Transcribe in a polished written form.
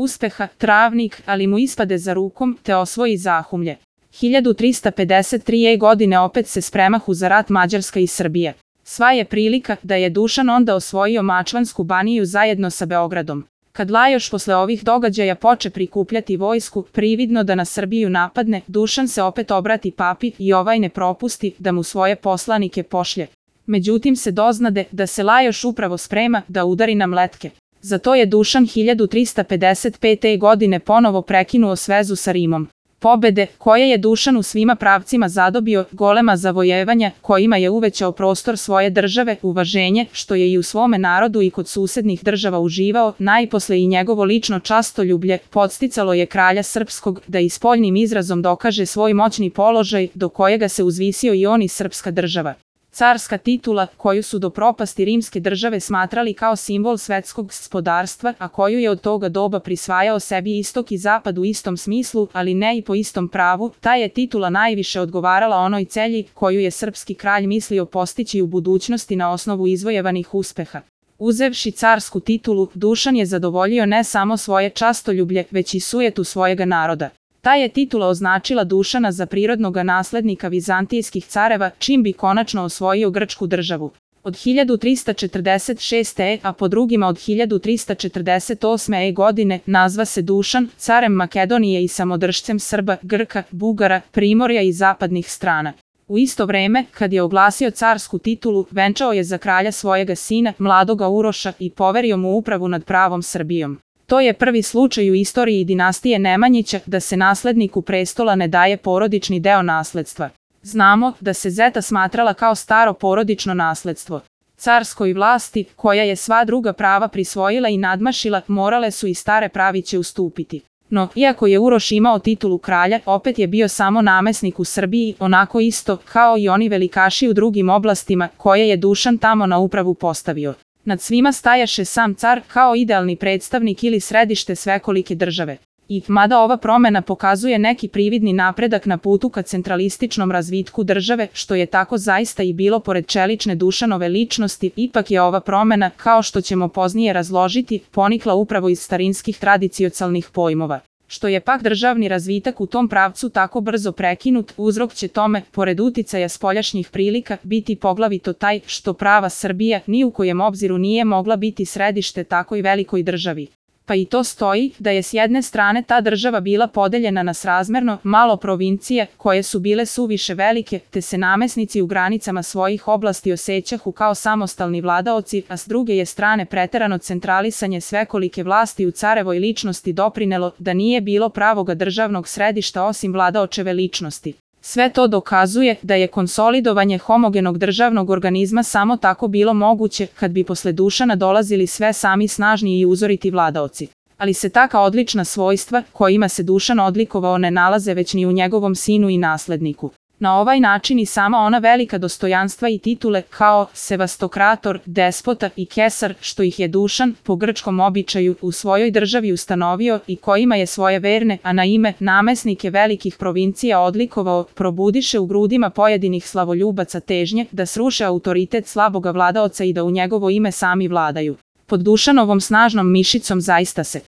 uspeha, travnik, ali mu ispade za rukom, te osvoji Zahumlje. 1353. godine opet se spremahu za rat Mađarska i Srbija. Sva je prilika da je Dušan onda osvojio Mačvansku baniju zajedno sa Beogradom. Kad Lajoš posle ovih događaja poče prikupljati vojsku, prividno da na Srbiju napadne, Dušan se opet obrati papi i ovaj ne propusti da mu svoje poslanike pošlje. Međutim se doznade da se Lajoš upravo sprema da udari na Mletke. Zato je Dušan 1355. godine ponovo prekinuo svezu sa Rimom. Pobede, koje je Dušan u svima pravcima zadobio, golema zavojevanja, kojima je uvećao prostor svoje države, uvaženje, što je i u svome narodu i kod susednih država uživao, najposle i njegovo lično častoljublje, podsticalo je kralja srpskog da i spoljnim izrazom dokaže svoj moćni položaj, do kojega se uzvisio i on i srpska država. Carska titula, koju su do propasti rimske države smatrali kao simbol svetskog gospodarstva, a koju je od toga doba prisvajao sebi istok i zapad u istom smislu, ali ne i po istom pravu, ta je titula najviše odgovarala onoj celji koju je srpski kralj mislio postići u budućnosti na osnovu izvojevanih uspeha. Uzevši carsku titulu, Dušan je zadovoljio ne samo svoje častoljublje, već i sujetu svojega naroda. Ta je titula označila Dušana za prirodnoga naslednika vizantijskih careva, čim bi konačno osvojio grčku državu. Od 1346. a po drugima od 1348. godine nazva se Dušan, carem Makedonije i samodržcem Srba, Grka, Bugara, Primorja i zapadnih strana. U isto vreme, kad je oglasio carsku titulu, venčao je za kralja svojega sina, mladoga Uroša, i poverio mu upravu nad pravom Srbijom. To je prvi slučaj u istoriji dinastije Nemanjića da se nasledniku prestola ne daje porodični deo nasledstva. Znamo da se zeta smatrala kao staro porodično nasledstvo. Carskoj vlasti, koja je sva druga prava prisvojila i nadmašila, morale su i stare praviće ustupiti. No, iako je Uroš imao titulu kralja, opet je bio samo namesnik u Srbiji, onako isto kao i oni velikaši u drugim oblastima koje je Dušan tamo na upravu postavio. Nad svima stajaše sam car kao idealni predstavnik ili središte svekolike države. I, mada ova promena pokazuje neki prividni napredak na putu ka centralističnom razvitku države, što je tako zaista i bilo pored čelične Dušanove ličnosti, ipak je ova promena, kao što ćemo poznije razložiti, ponikla upravo iz starinskih tradicionalnih pojmova. Što je pak državni razvitak u tom pravcu tako brzo prekinut, uzrok će tome, pored uticaja spoljašnjih prilika, biti poglavito taj što prava Srbija ni u kojem obziru nije mogla biti središte takoj velikoj državi. Pa i to stoji da je s jedne strane ta država bila podeljena na srazmerno malo provincija koje su bile suviše velike, te se namesnici u granicama svojih oblasti osjećahu kao samostalni vladaoci, a s druge je strane preterano centralisanje svekolike vlasti u carevoj ličnosti doprinelo da nije bilo pravoga državnog središta osim vladaočeve ličnosti. Sve to dokazuje da je konsolidovanje homogenog državnog organizma samo tako bilo moguće kad bi posle Dušana dolazili sve sami snažni i uzoriti vladaoci. Ali se taka odlična svojstva, kojima se Dušan odlikovao, ne nalaze već ni u njegovom sinu i nasledniku. Na ovaj način i sama ona velika dostojanstva i titule kao sevastokrator, despota i kesar, što ih je Dušan, po grčkom običaju, u svojoj državi ustanovio i kojima je svoje verne, a na ime namesnike velikih provincija odlikovao, probudiše u grudima pojedinih slavoljubaca težnje da sruše autoritet slaboga vladaoca i da u njegovo ime sami vladaju. Pod Dušanovom snažnom mišicom zaista se